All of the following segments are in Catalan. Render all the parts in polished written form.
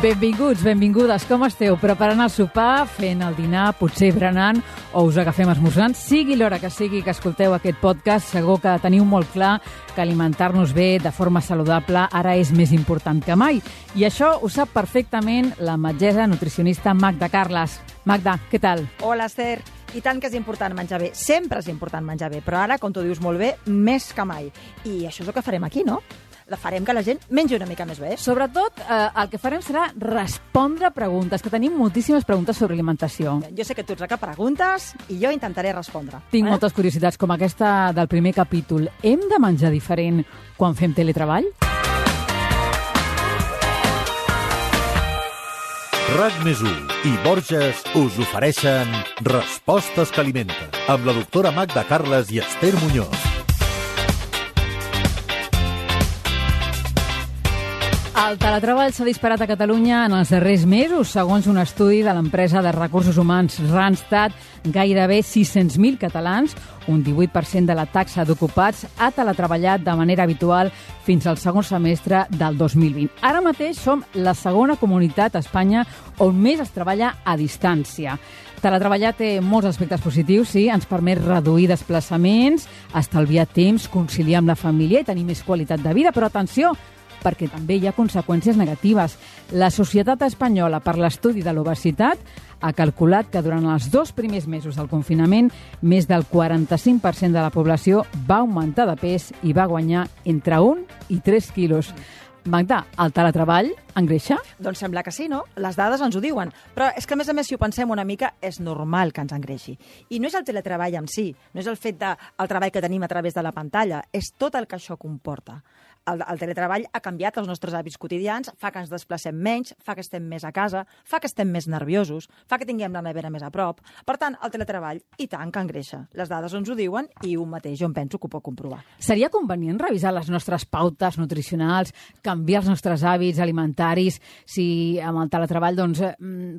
Benvinguts, benvingudes, com esteu? Preparant el sopar, fent el dinar, potser berenant o us agafem esmorzant? Sigui l'hora que sigui que escolteu aquest podcast, segur que teniu molt clar que alimentar-nos bé de forma saludable ara és més important que mai. I això ho sap perfectament la metgessa nutricionista Magda Carles. Magda, què tal? Hola, Esther. I tant que és important menjar bé. Sempre és important menjar bé, però ara, com tu dius molt bé, més que mai. I això és el que farem aquí, no? Farem que la gent mengi una mica més bé. Sobretot, el que farem serà respondre preguntes, que tenim moltíssimes preguntes sobre alimentació. Jo sé que tu ets la que preguntes i jo intentaré respondre. Tinc moltes curiositats, com aquesta del primer capítol. Hem de menjar diferent quan fem teletreball? RAC+1 i Borges us ofereixen Respostes que alimenten, amb la doctora Magda Carles i Esther Muñoz. El teletreball s'ha disparat a Catalunya en els darrers mesos. Segons un estudi de l'empresa de recursos humans Randstad, gairebé 600.000 catalans, un 18% de la taxa d'ocupats, ha teletreballat de manera habitual fins al segon semestre del 2020. Ara mateix som la segona comunitat a Espanya on més es treballa a distància. Teletreballar té molts aspectes positius, sí, ens permet reduir desplaçaments, estalviar temps, conciliar amb la família i tenir més qualitat de vida, però atenció, perquè també hi ha conseqüències negatives. La Societat Espanyola per l'Estudi de l'Obesitat ha calculat que durant els 2 primers mesos del confinament més del 45% de la població va augmentar de pes i va guanyar entre 1 i 3 quilos. Magda, el teletreball engreixa? Doncs sembla que sí, no? Les dades ens ho diuen. Però és que, a més, si ho pensem una mica, és normal que ens engreixi. I no és el teletreball en si, no és el fet del treball que tenim a través de la pantalla, és tot el que això comporta. El teletreball ha canviat els nostres hàbits quotidians, fa que ens desplacem menys, fa que estem més a casa, fa que estem més nerviosos, fa que tinguem la nevera més a prop. Per tant, el teletreball, i tant que engreixa. Les dades ens ho diuen i un mateix jo em penso que ho pot comprovar. Seria convenient revisar les nostres pautes nutricionals, canviar els nostres hàbits alimentaris, si amb el teletreball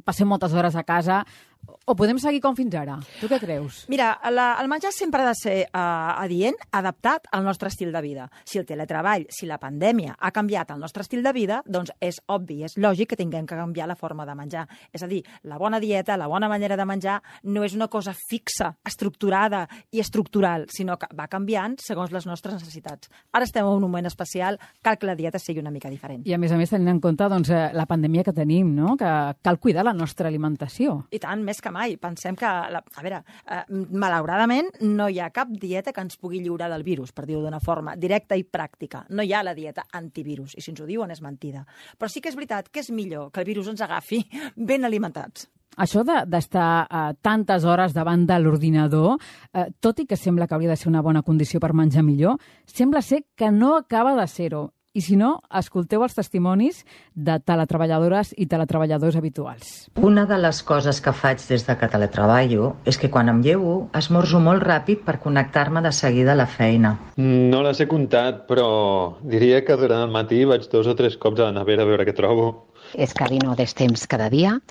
passem moltes hores a casa, o podem seguir com fins ara? Tu què creus? Mira, el menjar sempre ha de ser adient, adaptat al nostre estil de vida. Si el teletreball, si la pandèmia ha canviat el nostre estil de vida, doncs és obvi, és lògic que tinguem que canviar la forma de menjar. És a dir, la bona dieta, la bona manera de menjar no és una cosa fixa, estructurada i estructural, sinó que va canviant segons les nostres necessitats. Ara estem en un moment especial, cal que la dieta sigui una mica diferent. I a més, tenint en compte la pandèmia que tenim, no? Que cal cuidar la nostra alimentació. I tant, més que mai. Pensem que, malauradament, no hi ha cap dieta que ens pugui lliurar del virus, per dir-ho d'una forma directa i pràctica. No hi ha la dieta antivirus, i si ens ho diuen és mentida. Però sí que és veritat que és millor que el virus ens agafi ben alimentats. Això d'estar tantes hores davant de l'ordinador, tot i que sembla que hauria de ser una bona condició per menjar millor, sembla ser que no acaba de ser-ho. I si no, escolteu els testimonis de teletreballadores i teletreballadors habituals. Una de les coses que faig des de que teletreballo és que quan em llevo esmorzo molt ràpid per connectar-me de seguida a la feina. No les he comptat, però diria que durant el matí vaig 2 o 3 cops a la nevera a veure què trobo. És que dino des temps cada dia,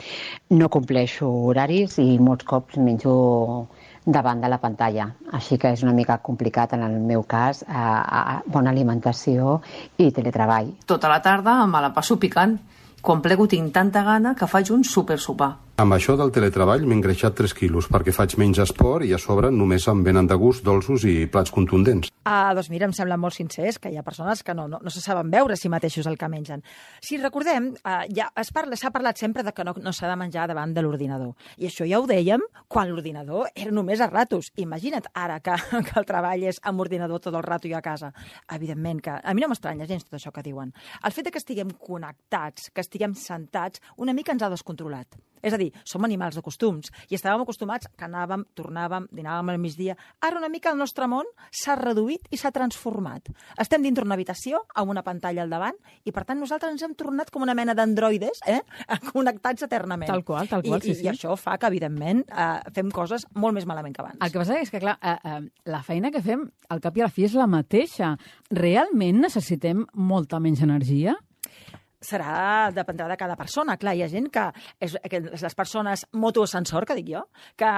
no compleixo horaris i molts cops menjo davant de la pantalla. Així que és una mica complicat en el meu cas, bona alimentació i teletreball. Tota la tarda me la passo picant. Quan plego tinc tanta gana que faig un supersopar. Amb això del teletreball m'he engreixat 3 quilos perquè faig menys esport i a sobre només em venen de gust dolços i plats contundents. Doncs mira, em sembla molt sincers que hi ha persones que no se saben veure si mateixos el que mengen. Si recordem, s'ha parlat sempre de que no s'ha de menjar davant de l'ordinador. I això ja ho dèiem quan l'ordinador era només a ratos. Imagina't ara que el treball és amb ordinador tot el rato i a casa. Evidentment que a mi no m'estranya gens tot això que diuen. El fet que estiguem connectats, que estiguem sentats, una mica ens ha descontrolat. És a dir, som animals de costums i estàvem acostumats que anàvem, tornàvem, dinàvem al migdia. Ara una mica el nostre món s'ha reduït i s'ha transformat. Estem dintre una habitació amb una pantalla al davant i, per tant, nosaltres ens hem tornat com una mena d'androides connectats eternament. Tal qual, sí. I això fa que, evidentment, fem coses molt més malament que abans. El que passa és que, clar, la feina que fem, al cap i a la fi, és la mateixa. Realment necessitem molta menys energia? dependrà de cada persona. Clar, hi ha gent que les persones motoascensor, que dic jo, que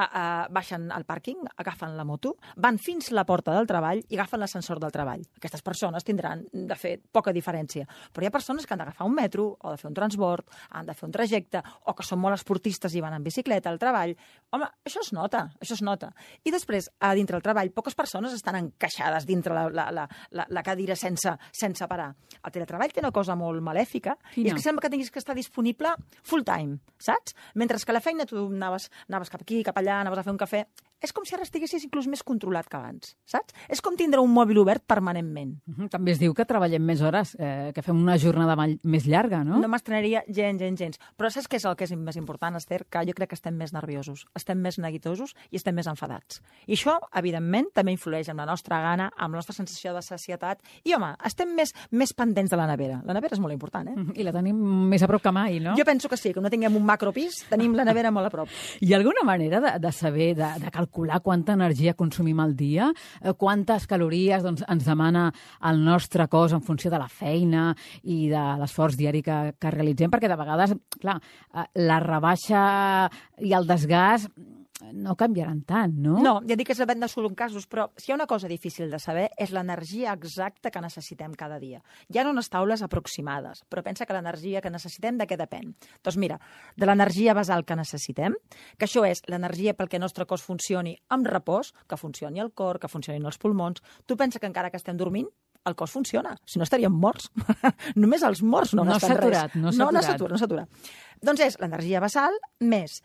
baixen al pàrquing, agafen la moto, van fins la porta del treball i agafen l'ascensor del treball. Aquestes persones tindran, de fet, poca diferència. Però hi ha persones que han d'agafar un metro o de fer un transbord, han de fer un trajecte, o que són molt esportistes i van en bicicleta al treball. Home, això es nota, això es nota. I després, a dintre del treball, poques persones estan encaixades dintre la cadira sense parar. El teletreball té una cosa molt malèfica, i és que sembla que tinguis que estar disponible full time, saps? Mentre que a la feina tu anaves cap aquí, cap allà, anaves a fer un cafè. És com si ara estiguessis inclús més controlat que abans, saps? És com tindre un mòbil obert permanentment. També es diu que treballem més hores, que fem una jornada més llarga, no? No m'estrenaria gens. Però saps què és el que és més important, Esther? Que jo crec que estem més nerviosos, estem més neguitosos i estem més enfadats. I això, evidentment, també influeix en la nostra gana, amb la nostra sensació de sacietat. I, home, estem més pendents de la nevera. La nevera és molt important, eh? I la tenim més a prop que mai, no? Jo penso que sí, que no tinguem un macropis, tenim la nevera molt a prop. Hi ha alguna manera de saber, de calcular quanta energia consumim al dia? Quantes calories ens demana el nostre cos en funció de la feina i de l'esforç diari que realitzem? Perquè de vegades, clar, la rebaixa i el desgast no canviaran tant, no? No, ja dic que depèn de solo en casos, però si hi ha una cosa difícil de saber és l'energia exacta que necessitem cada dia. Hi ha unes taules aproximades, però pensa que l'energia que necessitem de què depèn? Doncs mira, de l'energia basal que necessitem, que això és l'energia pel que el nostre cos funcioni amb repòs, que funcioni el cor, que funcionin els pulmons. Tu pensa que encara que estem dormint, el cos funciona, si no estaríem morts. Només els morts no gasten res. No s'atura. Doncs és l'energia basal més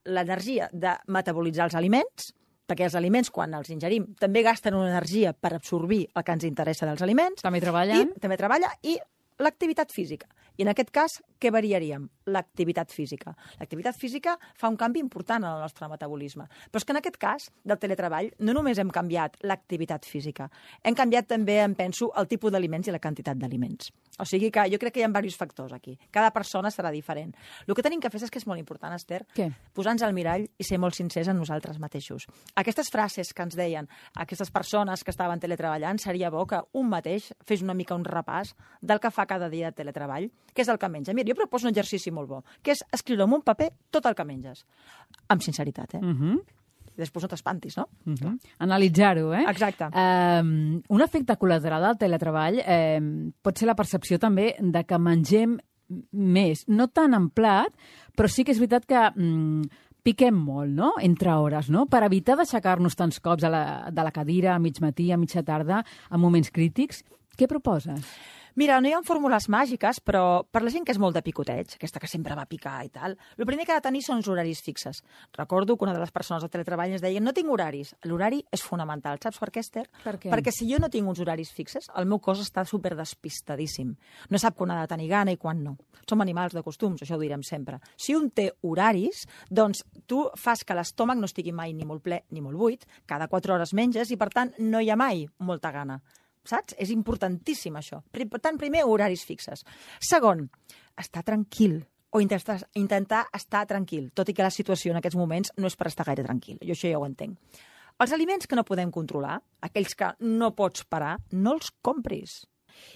l'energia de metabolitzar els aliments, perquè els aliments, quan els ingerim, també gasten una energia per absorbir el que ens interessa dels aliments. També treballen. També treballa, i l'activitat física. I en aquest cas, què variaríem? L'activitat física. L'activitat física fa un canvi important en el nostre metabolisme. Però és que en aquest cas del teletreball no només hem canviat l'activitat física, hem canviat també, em penso, el tipus d'aliments i la quantitat d'aliments. O sigui que jo crec que hi ha diversos factors aquí. Cada persona serà diferent. El que tenim que fer és que és molt important, Esther, posar-nos al mirall i ser molt sincers en nosaltres mateixos. Aquestes frases que ens deien aquestes persones que estaven teletreballant, seria bo que un mateix fes una mica un repàs del que fa cada dia de teletreball, que és el que menja. Mira, jo proposo un exercici molt bo, que és escriure en un paper tot el que menges. Amb sinceritat, eh? I després no t'espantis, no? Analitzar-ho, eh? Exacte. Un efecte col·lateral del teletreball pot ser la percepció també de que mengem més, no tant en plat, però sí que és veritat que piquem molt, no?, entre hores, no?, per evitar d'aixecar-nos tants cops de la cadira a mig matí, a mitja tarda, en moments crítics. Què proposes? Mira, no hi ha fórmules màgiques, però per la gent que és molt de picoteig, aquesta que sempre va picar i tal, el primer que ha de tenir són els horaris fixes. Recordo que una de les persones del teletreball ens deia no tinc horaris. L'horari és fonamental. Saps per què, Esther? Per què? Perquè si jo no tinc uns horaris fixes, el meu cos està superdespistadíssim. No sap quan ha de tenir gana i quan no. Som animals de costums, això ho direm sempre. Si un té horaris, doncs tu fas que l'estómac no estigui mai ni molt ple ni molt buit, cada 4 hores menges i, per tant, no hi ha mai molta gana. Saps? És importantíssim, això. Per tant, primer, horaris fixes. Segon, estar tranquil o intentar estar tranquil, tot i que la situació en aquests moments no és per estar gaire tranquil. Jo això ja ho entenc. Els aliments que no podem controlar, aquells que no pots parar, no els compris.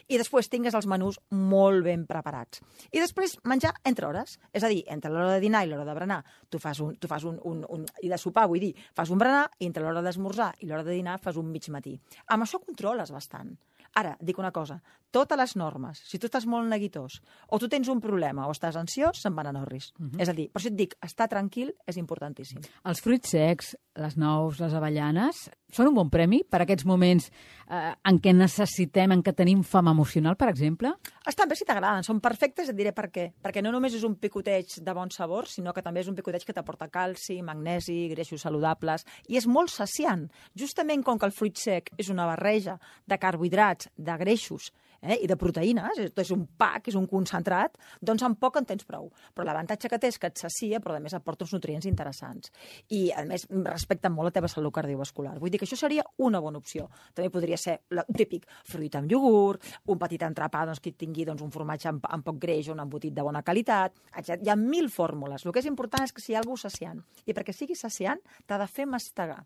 I després tingues els menús molt ben preparats. I després menjar entre hores, és a dir, entre l'hora de dinar i l'hora de berenar. Tu fas i de sopar, vull dir, fas un berenar, i entre l'hora d'esmorzar i l'hora de dinar fas un mig matí. Amb això controles bastant. Ara, dic una cosa, totes les normes, si tu estàs molt neguitós, o tu tens un problema o estàs ansiós, se'n van a Norris. És a dir, per això et dic, estar tranquil és importantíssim. Els fruits secs, les nous, les avellanes, són un bon premi per a aquests moments en què necessitem, en què tenim fam emocional, per exemple? Estan bé si t'agraden, són perfectes, et diré per què. Perquè no només és un picoteig de bon sabor, sinó que també és un picoteig que t'aporta calci, magnesi, greixos saludables, i és molt saciant. Justament com que el fruit sec és una barreja de carbohidrats, de greixos i de proteïnes, és un pack, és un concentrat, doncs amb poc en tens prou. Però l'avantatge que té és que et sacia, però a més aporta uns nutrients interessants. I a més respecta molt la teva salut cardiovascular. Vull dir que això seria una bona opció. També podria ser el típic fruit amb iogurt, un petit entrepà que tingui un formatge amb poc greix o un embotit de bona qualitat, etc. Hi ha 1000 fórmules. El que és important és que sigui alguna cosa saciant. I perquè sigui saciant t'ha de fer mastegar.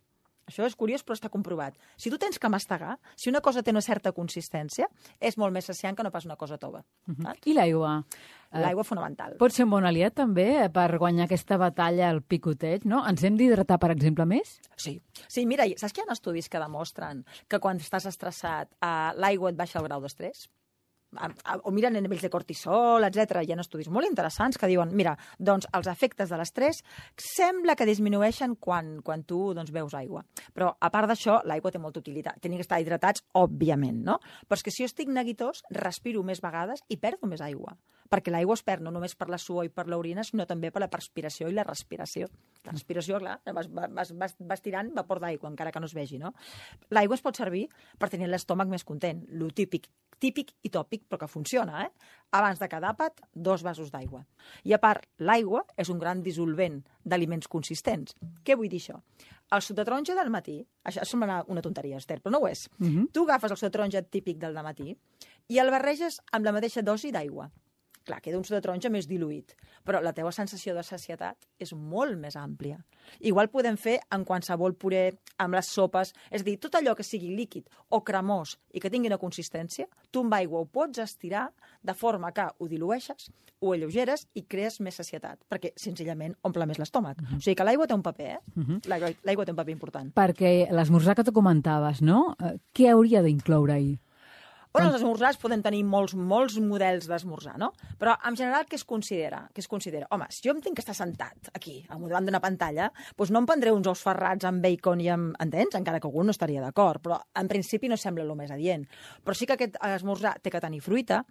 Això és curiós, però està comprovat. Si tu tens que mastegar, si una cosa té una certa consistència, és molt més saciant que no pas una cosa tova. I l'aigua? L'aigua fonamental. Pot ser un bon aliat, també, per guanyar aquesta batalla al picoteig, no? Ens hem d'hidratar, per exemple, més? Sí. Sí, mira, saps que hi ha estudis que demostren que quan estàs estressat l'aigua et baixa el grau d'estrès? O miren a nivells de cortisol, etc. Hi ha estudis molt interessants que diuen, mira, doncs els efectes de l'estrès sembla que disminueixen quan tu beus aigua. Però, a part d'això, l'aigua té molta utilitat. Tenim que estar hidratats, òbviament, no? Però és que si jo estic neguitós, respiro més vegades i perdo més aigua. Perquè l'aigua es perd no només per la suor i per l'orina, sinó també per la perspiració i la respiració. La respiració, clar, vas tirant vapor d'aigua, encara que no es vegi, no? L'aigua es pot servir per tenir l'estómac més content. Lo típic i tòpic, però que funciona, Abans de cada àpat, 2 vasos d'aigua. I a part, l'aigua és un gran dissolvent d'aliments consistents. Què vull dir això? El suc de taronja del matí, això sembla una tonteria, Esther, però no ho és. Tu agafes el suc de taronja típic del matí i el barreges amb la mateixa dosi d'aigua. Clar, queda un suc de taronja més diluït, però la teva sensació de sacietat és molt més àmplia. Igual podem fer en qualsevol puré, amb les sopes, és a dir, tot allò que sigui líquid o cremós i que tingui una consistència, tu amb aigua ho pots estirar de forma que ho dilueixes, ho alleugeres i crees més sacietat, perquè senzillament omple més l'estómac. O sigui que l'aigua té un paper, L'aigua té un paper important. Perquè l'esmorzar que tu comentaves, no? Què hauria d'incloure-hi? Bueno, els esmorzars poden tenir molts models d'esmorzar, no? Però, en general, què es considera? Home, si jo em tinc que estar sentat aquí, davant d'una pantalla, doncs no em prendré uns ous ferrats amb bacon i amb... Entens? Encara que algú no estaria d'acord, però en principi no sembla el més adient. Però sí que aquest esmorzar té que tenir fruita,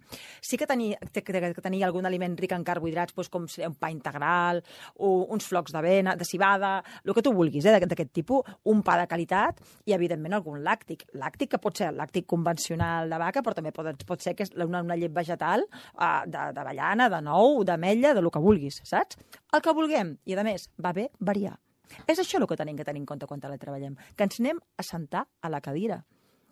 sí que té que tenir algun aliment ric en carbohidrats, doncs com un pa integral, uns flocs d'avena, de civada, el que tu vulguis, d'aquest tipus, un pa de qualitat i, evidentment, algun làctic. Làctic que pot ser el làctic convencional de vaca, però també pot ser que és una llet vegetal d'avellana, de nou, d'ametlla, de lo que vulguis, saps? El que vulguem. I, a més, va bé variar. És això el que tenim que tenir en compte quan treballem, que ens anem a sentar a la cadira.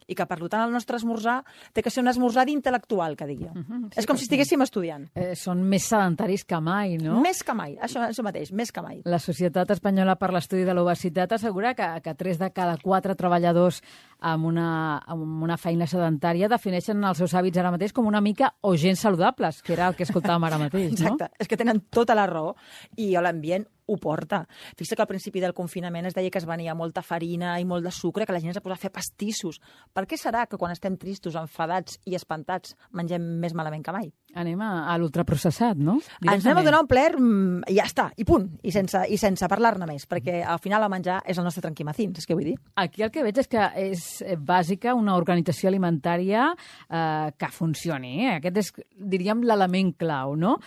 I que, per tant, el nostre esmorzar té que ser un esmorzar d'intel·lectual, que dic jo. És com si estiguéssim estudiant. Són més sedentaris que mai, no? Més que mai, això mateix, més que mai. La Societat Espanyola per l'Estudi de l'Obesitat assegura que 3 de cada 4 treballadors amb una feina sedentària defineixen els seus hàbits ara mateix com una mica o gens saludables, que era el que escoltàvem ara mateix, no? Exacte, és que tenen tota la raó i l'ambient ho porta. Fixa que al principi del confinament es deia que es venia molta farina i molt de sucre, que la gent es posava a fer pastissos. Per què serà que quan estem tristos, enfadats i espantats mengem més malament que mai? Anem a l'ultraprocessat, no? Ens anem a donar un plaer i ja està, i punt, i sense parlar-ne més, perquè al final el menjar és el nostre tranquimacín, és que vull dir. Aquí el que veig és que és bàsica una organització alimentària que funcioni. Aquest és, diríem, l'element clau, no?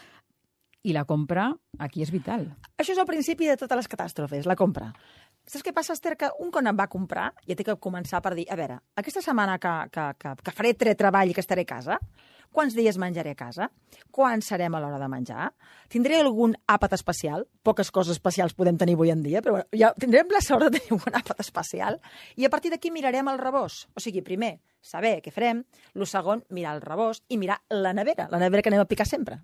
I la compra aquí és vital. Això és el principi de totes les catàstrofes, la compra. Saps què passa, Esther? Que un quan em va comprar ja té que començar per dir, a veure, aquesta setmana que faré treball i que estaré a casa, quants dies menjaré a casa? Quan serem a l'hora de menjar? Tindré algun àpat especial? Poques coses especials podem tenir avui en dia, però ja tindrem la sort de tenir un àpat especial. I a partir d'aquí mirarem el rebost. O sigui, primer, saber què farem. El segon, mirar el rebost i mirar la nevera que anem a picar sempre.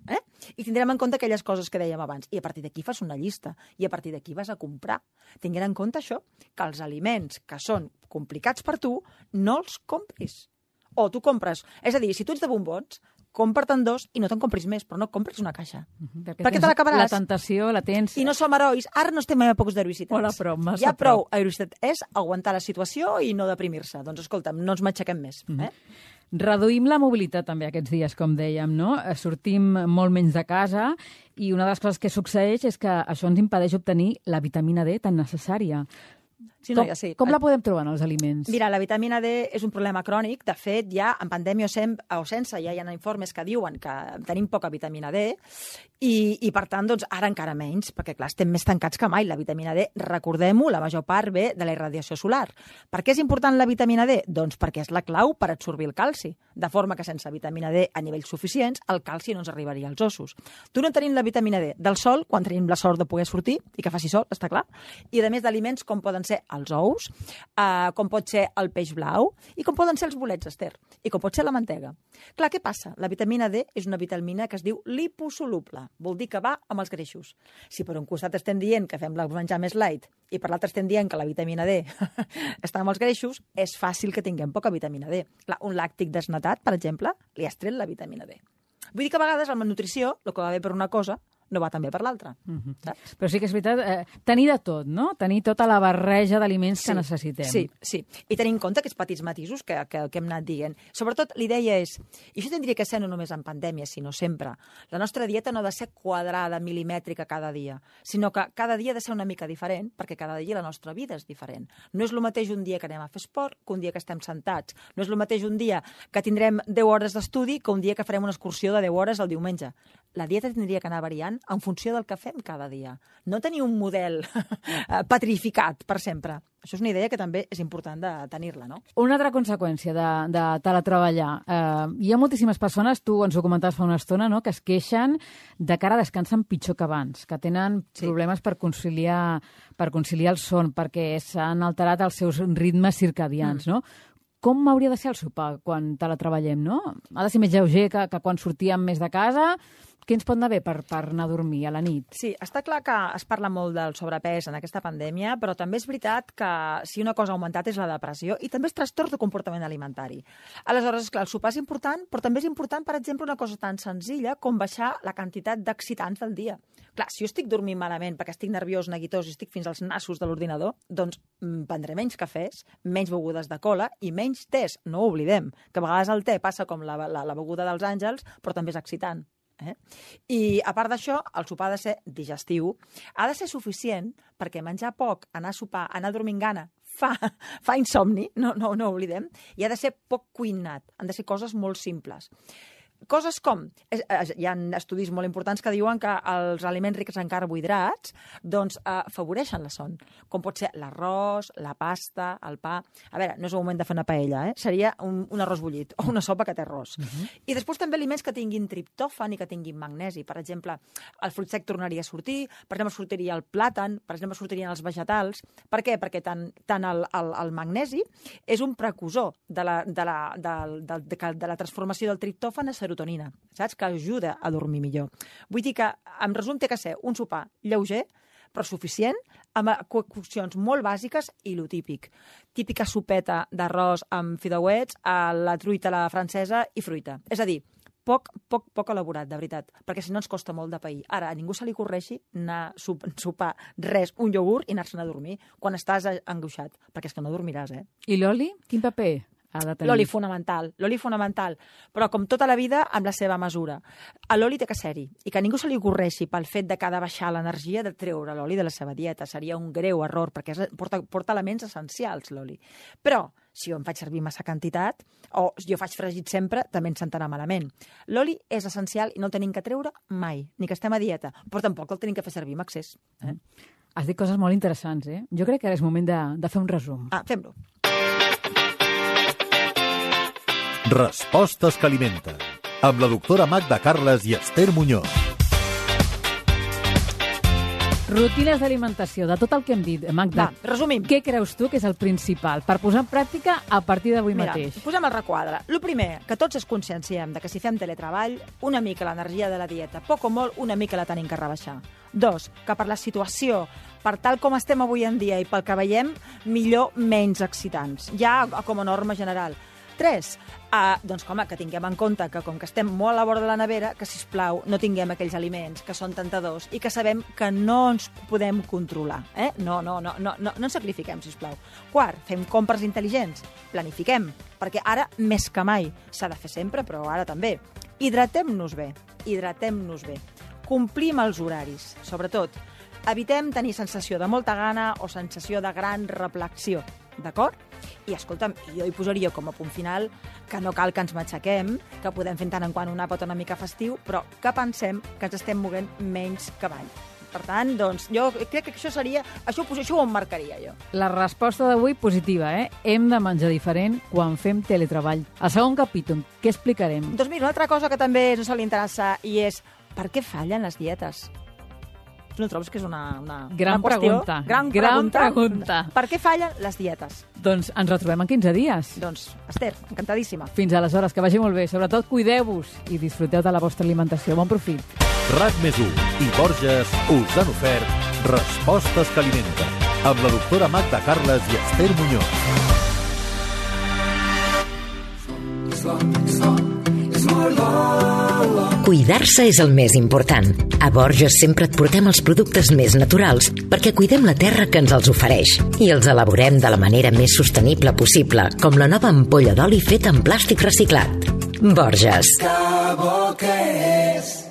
I tindrem en compte aquelles coses que dèiem abans. I a partir d'aquí fas una llista. I a partir d'aquí vas a comprar. Tinguent en compte això, que els aliments que són complicats per tu, no els compris. O tu compres, és a dir, si tu ets de bombons, compra-te'n 2 i no te'n compris més, però no compris una caixa. Perquè te l'acabaràs. La tentació la tens. I no som herois. Ara no estem en èpoques d'heroïcitats. Hola, prou, massa ja prou. Heroïcitat és aguantar la situació i no deprimir-se. Doncs escolta'm, no ens matxaquem més. Reduïm la mobilitat també aquests dies, com dèiem, no? Sortim molt menys de casa i una de les coses que succeeix és que això ens impedeix obtenir la vitamina D tan necessària. Sí, no, ja sí. Com la podem trobar en els aliments? Mira, la vitamina D és un problema crònic. De fet, ja en pandèmia o sense, ja hi ha informes que diuen que tenim poca vitamina D i per tant, doncs, ara encara menys, perquè, clar, estem més tancats que mai. La vitamina D, recordem-ho, la major part ve de la irradiació solar. Per què és important la vitamina D? Doncs perquè és la clau per absorbir el calci, de forma que sense vitamina D a nivells suficients, el calci no ens arribaria als ossos. Tu no tenim la vitamina D del sol, quan tenim la sort de poder sortir, i que faci sol, està clar, i a més d'aliments com poden ser els ous, com pot ser el peix blau i com poden ser els bolets, Esther, i com pot ser la mantega. Clar, què passa? La vitamina D és una vitamina que es diu liposoluble, vol dir que va amb els greixos. Si per un costat estem dient que fem menjar més light i per l'altre estem dient que la vitamina D està amb els greixos, és fàcil que tinguem poca vitamina D. Clar, un làctic desnatat, per exemple, li has tret la vitamina D. Vull dir que a vegades la malnutrició, el que va bé per una cosa, no va també per l'altra. Saps? Però sí que és veritat, tenir de tot, no? Tenir tota la barreja d'aliments que necessitem. Sí. I tenir en compte aquests petits matisos que hem anat dient. Sobretot, l'idea és, i això tindria que ser no només en pandèmia, sinó sempre, la nostra dieta no ha de ser quadrada, milimètrica cada dia, sinó que cada dia ha de ser una mica diferent, perquè cada dia la nostra vida és diferent. No és el mateix un dia que anem a fer esport que un dia que estem sentats. No és el mateix un dia que tindrem 10 hores d'estudi que un dia que farem una excursió de 10 hores el diumenge. La dieta tindria que anar variant en funció del que fem cada dia. No tenir un model petrificat per sempre. Això és una idea que també és important de tenir-la, no? Una altra conseqüència de teletreballar. Hi ha moltíssimes persones, tu ens ho comentaves fa una estona, no?, que es queixen de que ara descansen pitjor que abans, que tenen problemes per conciliar el son, perquè s'han alterat els seus ritmes circadians, no? Com hauria de ser el sopar quan teletreballem, no? Ha de ser més lleuger que quan sortíem més de casa. Què ens pot anar bé per anar a dormir a la nit? Sí, està clar que es parla molt del sobrepès en aquesta pandèmia, però també és veritat que si una cosa ha augmentat és la depressió i també és trastorn de comportament alimentari. Aleshores, clar, el sopar és important, però també és important, per exemple, una cosa tan senzilla com baixar la quantitat d'excitants del dia. Clar, si jo estic dormint malament perquè estic nerviós, neguitós i estic fins als nassos de l'ordinador, doncs prendré menys cafès, menys begudes de cola i menys tés. No ho oblidem, que a vegades el te passa com la beguda dels àngels, però també és excitant. I a part d'això, el sopar ha de ser digestiu, ha de ser suficient perquè menjar poc, anar a sopar, anar a dormir amb gana, fa insomni, no ho oblidem, i ha de ser poc cuinat, han de ser coses molt simples. Coses com, hi ha estudis molt importants que diuen que els aliments rics en carbohidrats doncs afavoreixen la son, com pot ser l'arròs, la pasta, el pa. A veure, no és el moment de fer una paella, seria un arròs bullit o una sopa que té arròs. I després també aliments que tinguin triptòfan i que tinguin magnesi. Per exemple, el fruit sec tornaria a sortir, per exemple, sortiria el plàtan, per exemple, sortirien els vegetals. Per què? Perquè tant el magnesi és un precursor de la transformació del triptòfan a serotonina, saps? Que ajuda a dormir millor. Vull dir que, en resum, té que ser un sopar lleuger, però suficient, amb coccions molt bàsiques i lo típic. Típica sopeta d'arròs amb fideuets, la truita a la francesa i fruita. És a dir, poc elaborat, de veritat, perquè si no ens costa molt de pair. Ara, a ningú se li correixi anar a sopar res, un iogurt i anar-se'n a dormir quan estàs angoixat, perquè és que no dormiràs, I l'oli? Quin paper ha de tenir? L'oli fonamental, però com tota la vida, amb la seva mesura. L'oli té que ser-hi, i que ningú se li ocorreixi pel fet de que ha de baixar l'energia de treure l'oli de la seva dieta. Seria un greu error, perquè porta elements essencials, l'oli. Però, si jo em faig servir massa quantitat, o jo faig fregit sempre, també ens sentarà malament. L'oli és essencial i no el tenim que treure mai, ni que estem a dieta, però tampoc el tenim que fer servir amb excés. Has dit coses molt interessants, Jo crec que ara és moment de fer un resum. Fem-lo. Respostes que alimenten, amb la doctora Magda Carles i Esther Muñoz. Rutines d'alimentació, de tot el que hem dit. Magda, resumim. Què creus tu que és el principal per posar en pràctica a partir d'avui mateix? Posem el requadre. El primer, que tots ens conscienciem de que si fem teletreball, una mica l'energia de la dieta, poc o molt, una mica la tenim que rebaixar. 2, que per la situació, per tal com estem avui en dia i pel que veiem, millor menys excitants, ja com a norma general. 3, doncs, home, que tinguem en compte que com que estem molt a la vora de la nevera, que, sisplau, no tinguem aquells aliments que són tentadors i que sabem que no ens podem controlar. No ens sacrifiquem, sisplau. 4, fem compres intel·ligents, planifiquem, perquè ara, més que mai, s'ha de fer sempre, però ara també. Hidratem-nos bé. Complim els horaris, sobretot. Evitem tenir sensació de molta gana o sensació de gran reflexió, d'acord? I, escolta'm, jo hi posaria com a punt final que no cal que ens matxaquem, que podem fer tant en quant un àpat una mica festiu, però que pensem que ens estem movent menys que mai. Per tant, doncs, jo crec que això seria... Això ho emmarcaria, jo. La resposta d'avui positiva, Hem de menjar diferent quan fem teletreball. Al segon capítol, què explicarem? Doncs mira, una altra cosa que també no se li interessa i és per què fallen les dietes? Tu no trobes que és una Gran qüestió? pregunta. Gran pregunta. Per què fallen les dietes? Doncs ens retrobem en 15 dies. Doncs, Esther, encantadíssima. Fins aleshores, que vagi molt bé. Sobretot, cuideu-vos i disfruteu de la vostra alimentació. Bon profit. RAC+1 i Borges us han ofert Respostes que alimenten, amb la doctora Magda Carles i Esther Muñoz. Cuidar-se és el més important. A Borges sempre et portem els productes més naturals perquè cuidem la terra que ens els ofereix i els elaborem de la manera més sostenible possible, com la nova ampolla d'oli feta en plàstic reciclat. Borges. Que bo que és